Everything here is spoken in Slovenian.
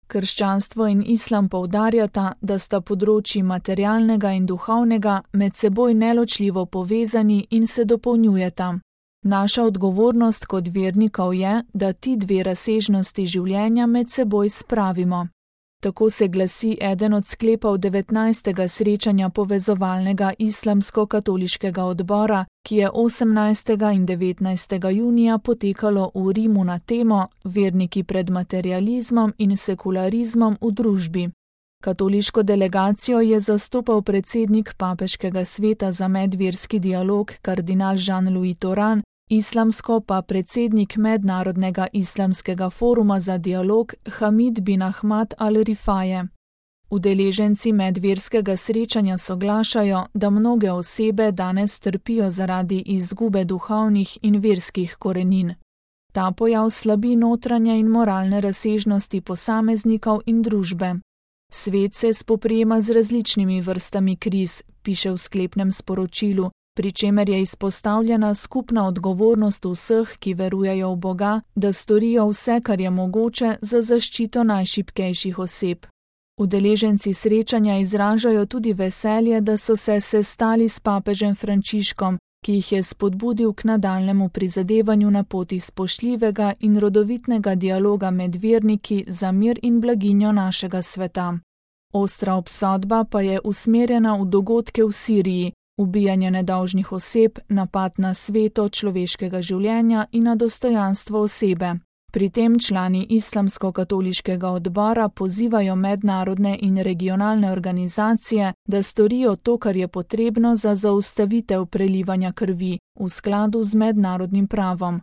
Krščanstvo in islam poudarjata, da sta področji materialnega in duhovnega med seboj neločljivo povezani in se dopolnjujeta. Naša odgovornost kot vernikov je, da ti dve razsežnosti življenja med seboj spravimo. Tako se glasi eden od sklepov 19. srečanja povezovalnega islamsko-katoliškega odbora, ki je 18. in 19. junija potekalo v Rimu na temo Verniki pred materializmom in sekularizmom v družbi. Katoliško delegacijo je zastopal predsednik Papeškega sveta za medverski dialog kardinal Jean-Louis Tauran, islamsko pa predsednik Mednarodnega islamskega foruma za dialog Hamid bin Ahmad al-Rifaje. Udeleženci medverskega srečanja soglašajo, da mnoge osebe danes trpijo zaradi izgube duhovnih in verskih korenin. Ta pojav slabi notranje in moralne razsežnosti posameznikov in družbe. Svet se spoprijema z različnimi vrstami kriz, piše v sklepnem sporočilu, pri čemer je izpostavljena skupna odgovornost vseh, ki verujejo v Boga, da storijo vse, kar je mogoče za zaščito najšibkejših oseb. Udeleženci srečanja izražajo tudi veselje, da so se sestali s papežem Frančiškom, ki jih je spodbudil k nadaljnjemu prizadevanju na poti spoštljivega in rodovitnega dialoga med verniki za mir in blaginjo našega sveta. Ostra obsodba pa je usmerjena v dogodke v Siriji, ubijanje nedolžnih oseb, napad na sveto človeškega življenja in na dostojanstvo osebe. Pri tem člani islamsko-katoliškega odbora pozivajo mednarodne in regionalne organizacije, da storijo to, kar je potrebno za zaustavitev prelivanja krvi v skladu z mednarodnim pravom.